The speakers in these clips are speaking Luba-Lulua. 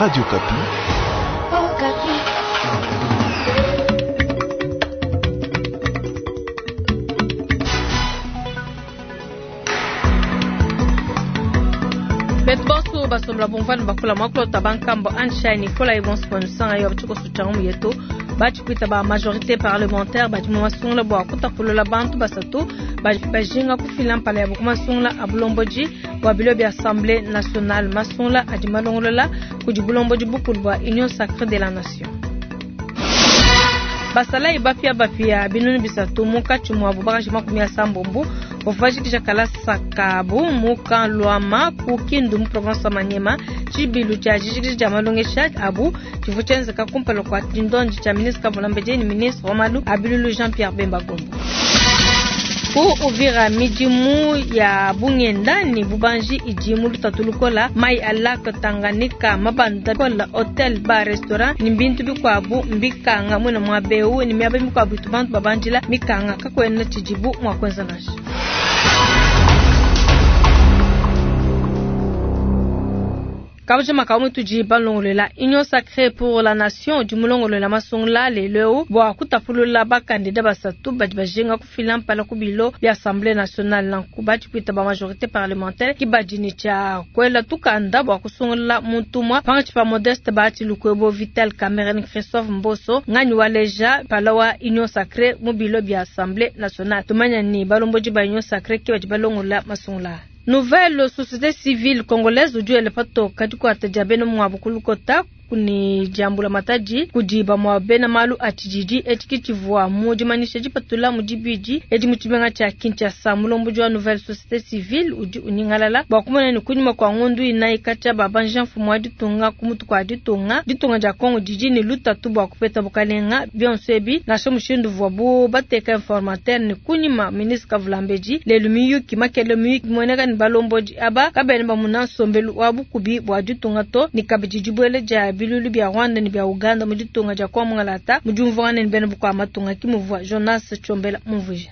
Radio Okapi. Betu bonso basombola bumvua ne bakula muakulu bankambo Anshai Nicolas bonso bonusanga yo tshikoso tshia ngumu yetu. Batshipwita ba majorité parlementaire badi mu masungula bua kutapulula bantu basatu bajinga kufila mpala yabo ku masungula a bulombodi bua bilo bia assemblée nationale. Masungula adi malongolola kudi bulombodi bukulu bua Union sacrée de la nation. Basalayi bapia bapia 300 munkatshi muabu bakaji 80 bavua bajikija kalasa kabu mu camp Luama ku Kindu mu province wa Maniema. Tshibilu tshia dijikija dia malongesha abu tshivua tshienzeka kumpala kua tshindondi tshia ministre Kavula Mbedi ne ministre wa malu a bilulu Jean-Pierre Bemba Gombo. Ku Uvira midimu ya bungenda ne bubanji idi mu lutatu lukola, mai a lac Tanganyika mabanda kola hotel ba restaurant ne bintu bikuabu mbikanga mwena muabeu ne miaba mikuabu itu bantu babandila mikanga kakuena tshidibu mua kuenza nansha. Kabuja makamu tudi balongolola Union Sacrée pour la Nation udi mulongolola masungula lelo bua kutapulula bakandida basatu badi bajinga kufila mpala ku bilo bia Assemblée nationale. Nanku batshipwita ba majorité parlementaire ki badi ne tshia kuela tukanda bua kusungula muntu umue pangatshi pa Modeste Bahati Lukwebo, Vital Kamerhe ne Christophe Mboso nganyi waleja mpala wa Union Sacrée mu bilo bia Assemblée nationale. Tumanya ni balombodi ba Union Sacrée ki badi balongolola masungula. Nouvelle société civile congolaise udi wela patoka dikuata dia bena muabu ku lukota ne diambula matadi kudi bamue bena malu a tshididi. Etshi ke tshivua mu dimanyisha dipatula mu dibidi edi mu tshimenga tshia Kinshasa. Mulombodi wa Nouvelle société civile udi unyingalala bua kumona ne kunyima kua ngondu inayi katshia babanja mfumu wa ditunga ku mutu kua ditunga, ditunga dia Congo didi ne lutatu bua kupeta bukalenga. Bionso ebi nansha mushindu uvuabu bateka informateur ne kunyima ministre Kavula Mbedi lelu miyuki makele miyuki mueneka ne balombodi aba kabena bamuna nsombelu wa bukubi bua ditunga to ne kabidi dibuela dia bilulu bia Rwanda ne bia Uganda mu ditunga dia Kongo Mungalata mu diumvuangana ne bena bukua matunga ki muvua Jonas Tshombela mumvuija.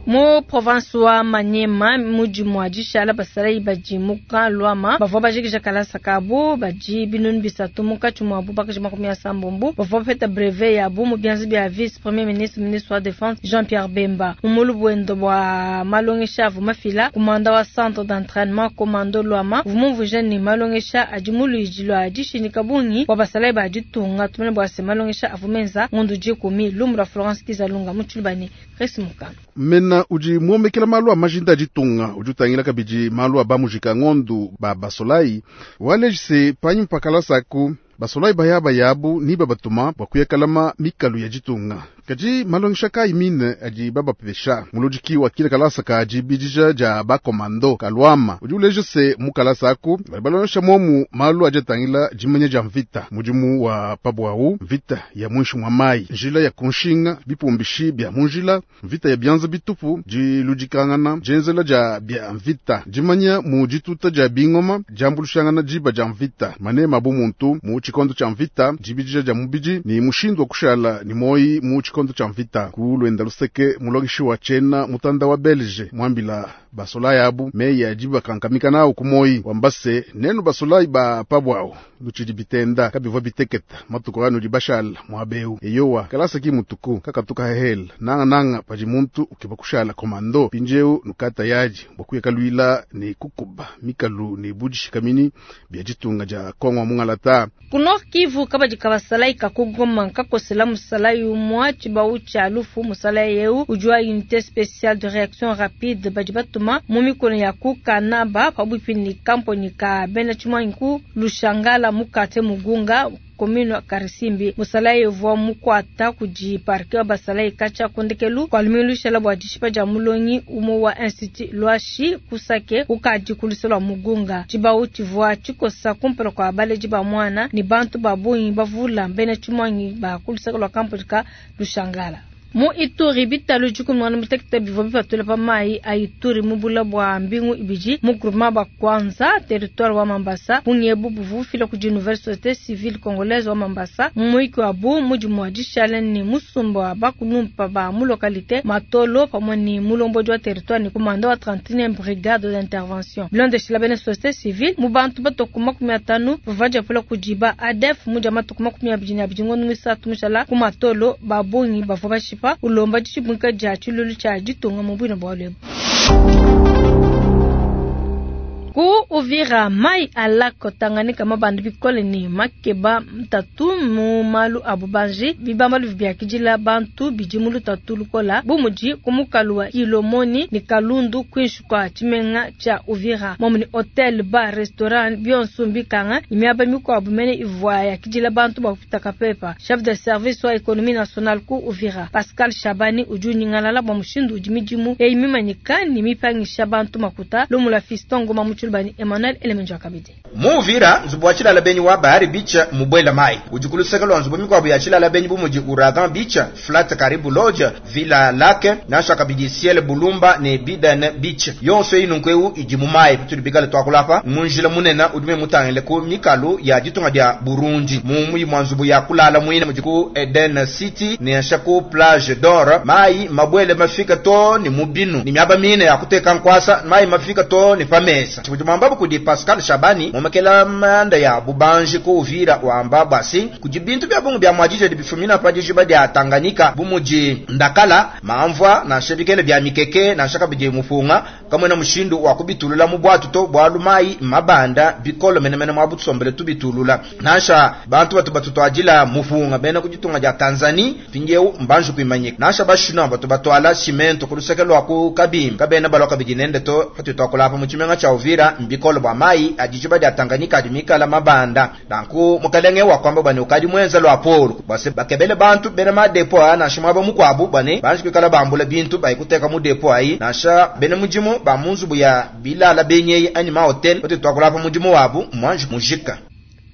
Mu province wa Maniema mudi mua dishala basalayi badi mu camp Luama bavua bajikija kalasa kabu badi 300 munkatshi muabu bakaji 80 bavua bapeta brevet yabu mu bianza bia vice premier ministre ministre wa défense Jean-Pierre Bemba. Mu mulubuendo bua malongesha avua mafila kumanda wa centre d'entraînement commando Luama uvua mumvuija ne malongesha adi mu luidi lua dishindika bungi bua basalayi ba ditunga. Tumone bua se malongesha avua menza ngondu 10 lumu lua Florence Kizalunga mu Tshilubani Chris Mukana. Mena udi muomekela malu a majinda ditunga udi utangila kabidi malu a bamujika ngondu ba basolai walejise panyi mpakalasaku basolai bayaba yabu ni babatuma bua kuyakalama mikalu ya ditunga. Kadi malongesha kayi mine adi babapesha muludiki wa kile kalasa ka dibidija dia bakomando kaluama udi uleja se mu kalasa aku bali balongesha momu malu adi atangila dimanya dia mvita, mudimu wa pabwawu, mvita ya mwinshi mwa mayi, njila ya kunshinga, bipumbishi bia munjila, mvita ya bianza bitupu, diludikangana, dienzela dia bia mvita, dimanya mu dituta dia bingoma, diambulushangana diba dia mvita, manema bu muntu mu tshikondo tshia mvita, dibidija dia mubidi ni mushindu wa kushala ni moyi mu tshikondo tshia mvita. Ku lwenda luseke mulongeshi wa tshena mutanda wa Belge mwambila basolayi abu meyi adi bakankamika nawu ku moyi wamba se nenu basolayi ba pabwawu lutshidi bitenda kabivua biteketa matuku anu di bashala muabeu eyowa kalasa ki mutuku kakatuka hehela nanga nanga padi muntu ukeba kushala komando pinjeu nukata yaji bua kuyakalwila ne kukuba mikalu ne budishikamini bia ditunga dia Kongo mungalata. Ku Nord Kivu kabadi kabasalayi kakugoma nkakosela musalayi umua tshibau tshia lufu. Musalayi eu udi wa unité spéciale de réaction rapide badi batuma mu mikono ya ku Kanaba pabuipi ni kamponi ka bena tshimwangi ku Lushangala mukate Mugunga commune Karisimbi. Musalayi uvua mukuata kudi parquet wa basalayi katshia kundekelu kua lumingu lushala bua dishipa dia mulongi umue wa institut Lwashi kusake ukadi ku luse lua Mugunga. Tshibau tshivua tshikosa kumpala kua baledi ba mwana ne bantu ba bungi bavula bena tshimwangi ba ku luseke lua kamponi ka Lushangala. Mu Ituri, bitalu 16 bivua bipatula pa mayi a Ituri mu bula bua mbingu ibidi mu groupement Bakwanza, territoire wa Mambasa. Bungi ebu buvua bufila kudi Nouvelle Société Civile Congolaise wa Mambasa mu muyiki wabu mu dimua dishala ne musumba wa bakulumpa ba mu localité Matolo pamue ne mulombodi wa territoire ne commandant wa 31e brigade d'intervention. Bilondeshila bena société civile mu bantu batua ku 50 bavua badiapula kudi ba ADF mu dia matuku 22 ngondo muisatu mushala ku Matolo, ba bungi bavua bashipa ulomba ditshibuika dia tshiluilu tshia ditunga mu buine bualu ebu. Ku Uvira, mayi a lac Tanganyika mabanda bikole ne makeba ntatu mu malu a bubanji. Bibambalu biakidila bantu bidi mu lutatu lukola bu mudi ku mukalu wa Kilomoni ne Kalundu kuinshi kua tshimenga tshia Uvira. Momu ne hotel, bar, restaurant bionso mbikanga ne miaba mikuabu mene ivua yakidila bantu bua kupita kapepa. Chef de service wa économie nationale ku Uvira, Pascal Shabani, udi unyingalala bua mushindu udi midimu eyi mimanyika ne mipangisha bantu makuta. Lumu lua Fiston Ngoma mu tshiluba ne Emmanuel Elemenjo kabidi. Mu Uvira, nzubu wa tshilala benyi wa Bahari Beach mubwela mayi udi ku luseke lua nzubu mikuabu ya tshilala benyi bu mudi Ouragan Beach, Flat Karibu Lodge, Villa Lake, nansha kabidi Ciel Bulumba ne Biden Beach. Yonso eyi nunku eu idi mu mayi. Patudi bikale tuakula apa mu njila munene udi mutangile ku mikalu ya ditunga dia Burundi. Mu muyi mua nzubu ya kulala muine mudi ku Eden City nansha ku Plage d'Or, mayi mabwele mafika to ne mu binu ne miaba mine ya kuteka nkwasa, mayi mafika to ne pa mesa. Tshidi mwambabu kudi Pascal Shabani momekela manda ya bubanji ku Uvira wamba basi kudi bintu bya bungu bya mwadije bifumina pa dijiba dia Tanganyika bu mudi ndakala mamvua nansha bikele bya mikeke nansha kabidi mupunga kamwena mushindu wa kubitulula mu bwatu to bwalu mayi mabanda bikolo menemene mwa butusombele tubitulula nansha bantu batu batutwadila mupunga bena kuditunga dia Tanzania pindiewu mbanju kuimanyika nansha bashino batu batwala cimento ku luseke lwa ku Kabimbi kabena balwa kabidi nende to patutwakola apa mu tshimenga tshia Uvira mbikolo bwa mayi adijiba dia Tanganyika adi mikala mabanda nanku mukalenge wa kwamba bane ukadi mwenza lwa polo bwase bakebele bantu bena ma depo a nansha mwaba mukwabu bane banji kwikala bambula bintu bayikuteka mu depo ayi nansha bena mudimu ba munzubu ya bilala benyeyi anyi ma hotel patutwakola apa mudimu wabu mwanji mujika.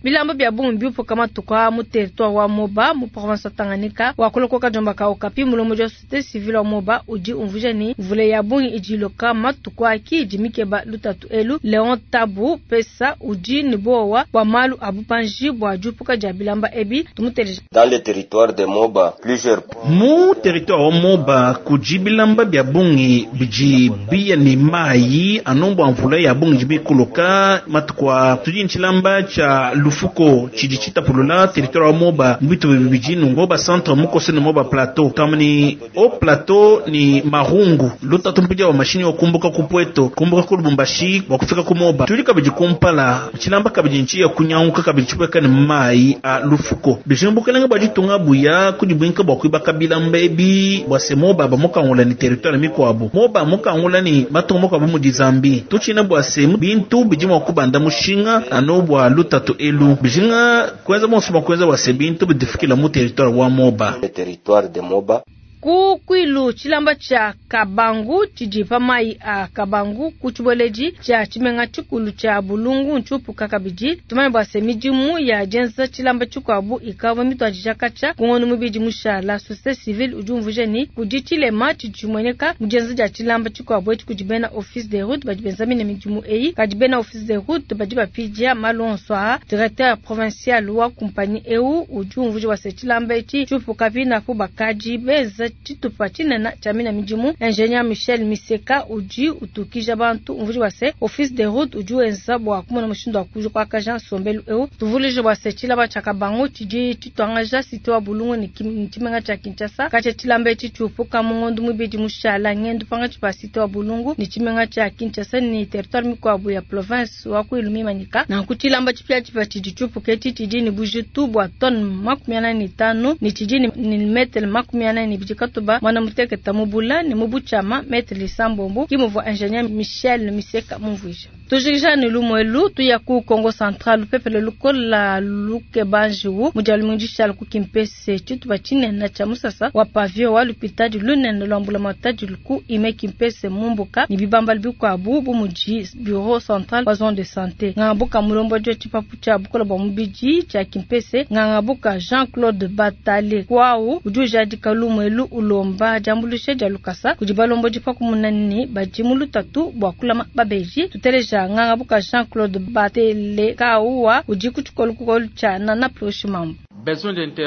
Bilamba bya bungi biupuka matuku a mu territoire wa Moba mu province ya Tanganyika wa kulokoka jomba ka Okapi mulombodi wa société civile wa Moba udi umvuija ne mvula ya bungi idi iloka matuku aki idi mikeba lutatu elu. Leon Tabu Pesa udi ne bowa bua malu a bubanji bua diupuka dia bilamba ebi tumuteleje. Dans le territoire de Moba, plusieurs mu territoire wa Moba kudi bilamba bya bungi bidi biya ne mayi anombo mvula ya bungi bikuluka matuku a tudi ntshilamba tshia lufuko tshidi tshitapulula territoire wa Moba mbitu bibidi nungo ba centre mukose ne Moba plateau tamni o plateau ni marungu lutatu mpija wa mashini wa kumbuka ku Pweto kumbuka ku Lubumbashi wa kufika ku Moba tudi kabidi kumpala tshilamba kabidi nchi ya kunyanguka kabidi tshipweka ne mayi a lufuko bijimbukelenge bwa ditunga buya kudibwinka bwa kuibaka bilamba ebi bwa se Moba bamukangula ni territoire mikwabu Moba mukangula ni matunga mukwabu mu dizambi tuchina bwa se bintu bidi mwa kubanda mushinga ano bwa lutatu elu bijinga kwenza monso kwenza bwa se bintu bidifikila mu territoire wa Moba. Le territoire de Moba. Ku Kwilu tshilamba tshia Kabangu tshidi pa mayi a Kabangu ku tshibueledi tshia tshimenga tshikulu tshia Bulungu ntshiupuka kabidi. Tumanye bua se midimu ya dienza tshilamba tshikuabu ikavua mituadija katshia ku ngondo mubidi mushala. Société civile udi umvuija ne kudi tshilema tshidi tshimueneka mu dienza dia tshilamba tshikuabu etshi kudi bena office de route badi benza mine midimu eyi, kadi bena office de route badi bapidia malu onso aa. Directeur provincial wa compagnie eu udi umvuija bua se tshilamba etshi tshiupuka pinapu bakadi benza tshitupa tshinene tshia mina midimu. Ingénieur Michel Miseka udi utukija bantu umvuija bua se office de route udi wenza bua kumona mushindu wa kuakaja nsombelu eu. Tuvuluije bua se tshilamba tshia Kabangu tshidi tshituangaja cité wa Bulungu ne tshimenga tshia Kinshasa. Katshia tshilamba etshi tshiupuka mu ngondo mubidi mushala ngendu pangatshi pa cité wa Bulungu ne tshimenga tshia Kinshasa ne territoire mikuabu ya province wa Kwilu mimanyika. Nanku tshilamba tshipiatshipia tshidi tshiupuka etshi tshidi ne bujitu bua tonne 45 ne tshidi ne metre 42 katuba mwana muteketa mubula ne mubuchama metre lisambombo kimuvua ingénieur Michel Miseka mumvuija. Tujikija ne lumwelu tuya ku Kongo Central lupepele lukola lukebanjiwu mudialu mundishala ku Kimpese tshitupa tshinene tshia musasa wa pavio wa lupitadi lunene lwa matadi ku ime Kimpese mumbuka ne bibamba bikuabu bu mudi bureau central wa zone de santé. Ngambuka mulombo dio tshipapu tshia bukola bua mubidi tshia Kimpese ngangabuka Jean-Claude Batale kwau udi ujadika lumwelu. ulomba diambuluisha dia lukasa kudi balombodi pa kumona ne badi mu lutatu bua kulama babedi. Tuteleja nganga buka Jean Claude Batelekauwa udi ku tshikolokolo tshia Nana Ploshimambu.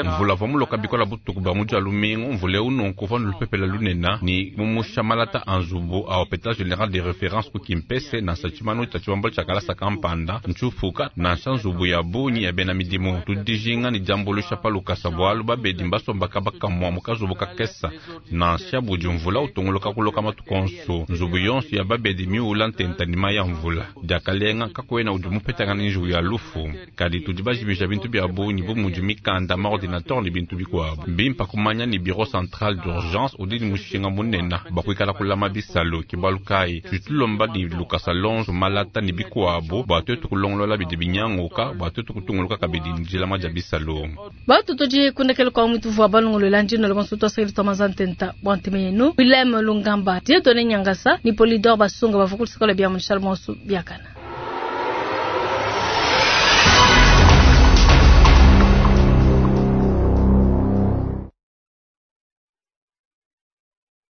Mvula uvua muloka bikola butuku bua mu dia lumingu. Mvula eu nunku uvua ne lupepele lunene ne mumusha malata a nzubu a Hopital General de Reference ku Kimpese, nansha tshimanu tshia tshibambalu tshia kalasa kampanda ntshiupuka, nansha nzubu ya bungi ya bena midimu. Tudi dijinga ne diambuluisha pa lukasa bualu babedi mbasomba kaba kamua mu kazubu kakesa, nansha budi mvula utunguluka kuloka matuku onso. Nzubu yonso ya babedi miula ntenta ne mayi a mvula. Diakalenga, kakuena udi mupetangana ne njiwu ya lufu, kadi tudi bajimija bintu bia bungi bu mudi mikanda, maordinateur ne bintu bikuabu. Mbimpe kumanya ne bureau central d'urgence udi ne mushinga munene bua kuikala kulama bisalu. Ke bualu kayi tudi tulomba ne lukasa lonso malata ne bikuabu bua tuetu kulongolola bidi binyanguka bua tuetu kutunguluka kabidi ne dilama dia bisalu. Batu tudi kundekela kwa mwitu vua balongolola ndino la bonso twasakili twa mazantenta bua ntema yenu. Willem Lungamba, Dieudonné Nyangasa ni Polydor Basunga bavua ku luseke lua bia mu Charles Bonso biakana.